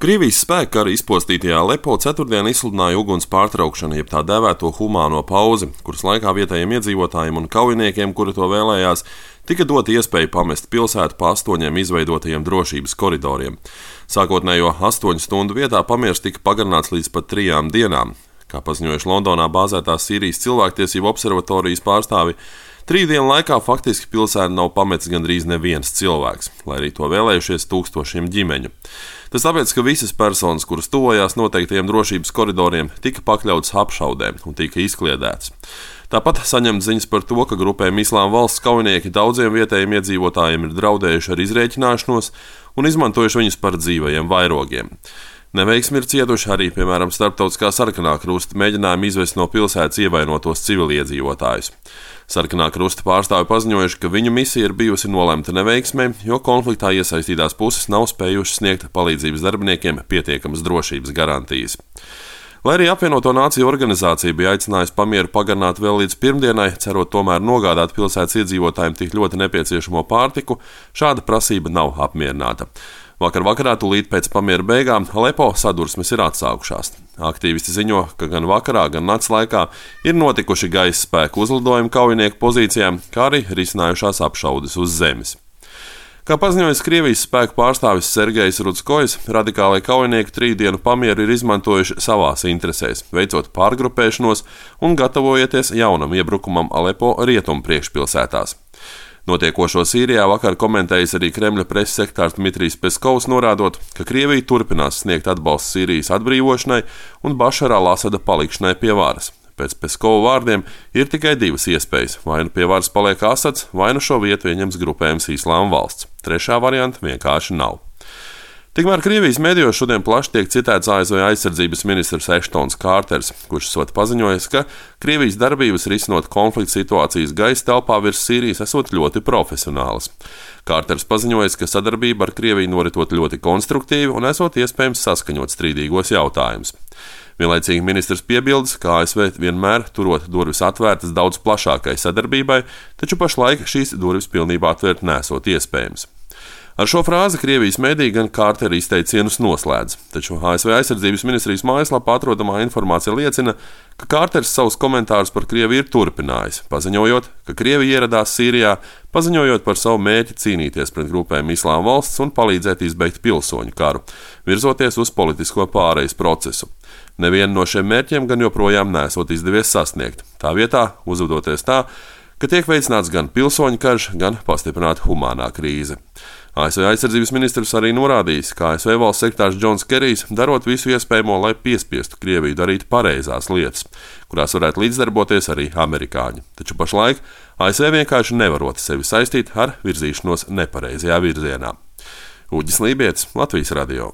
Krievijas spēki kara izpostītajā Alepo ceturtdien izsludināja uguns pārtraukšanu, jeb tā dēvēto humāno pauzi, kuras laikā vietējiem iedzīvotājiem un kaujiniekiem, kuri to vēlējās, tika dota iespēja pamest pilsētu pa 8 izveidotajiem drošības koridoriem. Sākotnējo 8 stundu vietā pamiers tika pagarināts līdz pat 3 dienām. Kā paziņojuši Londonā bāzētās Sīrijas cilvēktiesību observatorijas pārstāvi, 3 dienu laikā faktiski pilsētu nav pametis gandrīz neviens cilvēks, lai arī to vēlējušies tūkstošiem ģimeņu. Tas tāpēc, ka visas personas, kuras tuvojās noteiktajiem drošības koridoriem, tika pakļautas apšaudēm un tika izkliedētas. Tāpat saņemt ziņas par to, ka grupējuma Islāma valsts kaujinieki daudziem vietējiem iedzīvotājiem ir draudējuši ar izrēķināšanos un izmantojuši viņus par dzīvajiem vairogiem. Neveiksmi ir cietuši arī, piemēram, Starptautiskā sarkanā krusta mēģinājumi izvest no pilsētas ievainotos civiliedzīvotājus. Sarkanā krusta pārstāvi paziņojuši, ka viņu misija ir bijusi nolemta neveiksmē, jo konfliktā iesaistītās puses nav spējušas sniegt palīdzības darbiniekiem pietiekamas drošības garantijas. Lai arī apvienoto nāciju organizācija bija aicinājusi pamieru pagarināt vēl līdz pirmdienai, cerot tomēr nogādāt pilsētas iedzīvotājiem tik ļoti nepieciešamo pārtiku, šāda prasība nav apmierināta. Vakar vakarā, tūlīt pēc pamiera beigām, Alepo sadursmes ir atsākušās. Aktīvisti ziņo, ka gan vakarā, gan nakts laikā ir notikuši gaisa spēku uzlidojumi kaujinieku pozīcijām, kā arī risinājušās apšaudes uz zemes. Kā paziņojis Krievijas spēku pārstāvis Sergejs Rudskojs, radikālie kaujinieki 3 dienu pamieru ir izmantojuši savās interesēs, veicot pārgrupēšanos un gatavojoties jaunam iebrukumam Alepo rietumu priekšpilsētās. Notiekošo Sīrijā vakar komentējis arī Kremļa preses sekretārs Dmitrijs Peskovs, norādot, ka Krievija turpinās sniegt atbalstu Sīrijas atbrīvošanai un Bašara al-Asada palikšanai pie varas. Pēc Peskova vārdiem ir tikai 2 iespējas – vai nu pie varas paliek Asads, vai nu šo vietu ieņems grupējums Islāma valsts. Trešā varianta vienkārši nav. Tikmēr Krievijas medijos šodien plaši tiek citēts ASV aizsardzības ministrs Eštons Kārters, kurš esot paziņojis, ka Krievijas darbības risinot konflikta situācijas gaisa telpā virs Sīrijas esot ļoti profesionālas. Kārters paziņojis, ka sadarbība ar Krieviju noritot ļoti konstruktīvi un esot iespējams saskaņot strīdīgos jautājumus. Vienlaicīgi ministrs piebildes, ka ASV vienmēr turot durvis atvērtas daudz plašākai sadarbībai, taču pašlaik šīs durvis pilnībā atvērt nesot iespējams. Ar šo frāzi Krievijas mediji gan Kārtera izteicienus noslēdz, taču ASV aizsardzības ministrijas mājaslapā atrodamā informācija liecina, ka Kārters savus komentārus par Krieviju ir turpinājis, paziņojot, ka Krievija ieradās Sīrijā, paziņojot par savu mērķi cīnīties pret grupējumu Islāma valsts un palīdzēt izbeigt pilsoņu karu, virzoties uz politisko pārejas procesu. Nevienu no šiem mērķiem gan joprojām nesot izdevies sasniegt, tā vietā uzvedoties tā, ka tiek veicināts gan pilsoņu karš, gan pastiprināta humānā krīze. ASV aizsardzības ministrs arī norādījis, ka ASV valsts sekretārs Džons Kerijs darot visu iespējamo, lai piespiestu Krieviju darīt pareizās lietas, kurās varētu līdzdarboties arī amerikāņi. Taču pašlaik ASV vienkārši nevarot sevi saistīt ar virzīšanos nepareizajā virzienā. Uģis Lībietis, Latvijas radio.